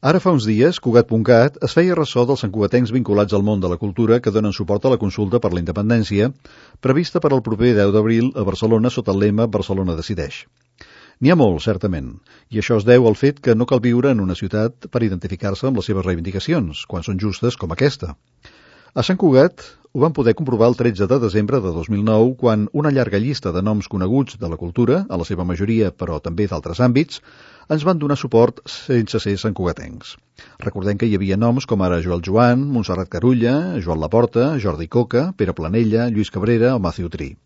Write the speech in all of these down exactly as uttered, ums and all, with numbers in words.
Ara fa uns dies, Cugat punt cat es feia ressò dels santcugatencs vinculats al món de la cultura que donen suport a la consulta per la independència, prevista per al proper deu d'abril a Barcelona sota el lema Barcelona decideix. N'hi ha molt, certament, i això es deu al fet que no cal viure en una ciutat per identificar-se amb les seves reivindicacions, quan són justes com aquesta. A Sant Cugat ho vam poder comprovar el tretze de desembre de dos mil nou, quan una llarga llista de noms coneguts de la cultura, a la seva majoria, però també d'altres àmbits, ens van donar suport sense ser santcugatencs. Recordem que hi havia noms com ara Joel Joan, Montserrat Carulla, Joan Laporta, Jordi Coca, Pere Planella, Lluís Cabrera o Matthew Tree.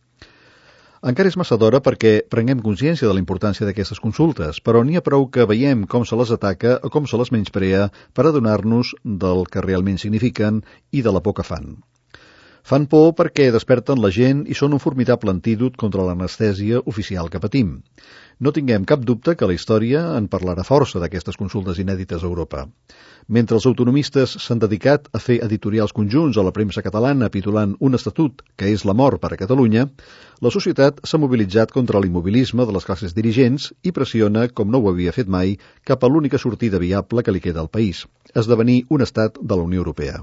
Encara és massa d'hora perquè prenguem consciència de la importància d'aquestes consultes, però n'hi ha prou que veiem com se les ataca o com se les menysprea per adonar-nos del que realment signifiquen i de la por que fan. Fan por perquè desperten la gent i són un formidable antídot contra l'anestèsia oficial que patim. No tinguem cap dubte que la història en parlarà força d'aquestes consultes inèdites a Europa. Mentre els autonomistes s'han dedicat a fer editorials conjunts a la premsa catalana pitulant un estatut que és la mort per a Catalunya, la societat s'ha mobilitzat contra l'immobilisme de les classes dirigents i pressiona, com no ho havia fet mai, cap a l'única sortida viable que li queda al país, esdevenir un estat de la Unió Europea.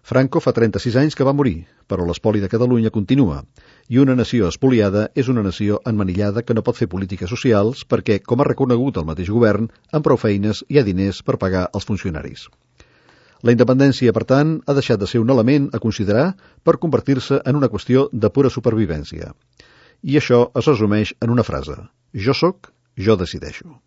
Franco fa trenta-sis anys que va morir, però l'espoli de Catalunya continua, i una nació espoliada és una nació emmanillada que no pot fer polítiques socials perquè, com ha reconegut el mateix govern, amb prou feines hi ha diners per pagar els funcionaris. La independència, per tant, ha deixat de ser un element a considerar per convertir-se en una qüestió de pura supervivència. I això es resumeix en una frase: jo soc, jo decideixo.